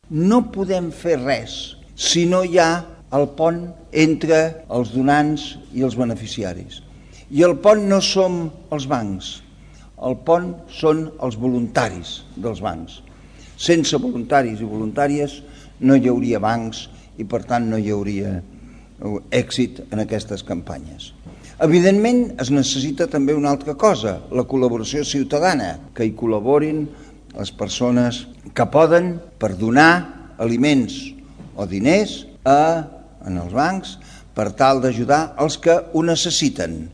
No podem fer res si no hi ha el pont entre els donants i els beneficiaris. I el pont no som els bancs, el pont són els voluntaris dels bancs. Sense voluntaris i voluntàries no hi hauria bancs i per tant no hi hauria èxit en aquestes campanyes. Evidentment es necessita també una altra cosa, la col·laboració ciutadana, que hi col·laborin les persones que poden per donar aliments o diners en els bancs per tal d'ajudar els que ho necessiten.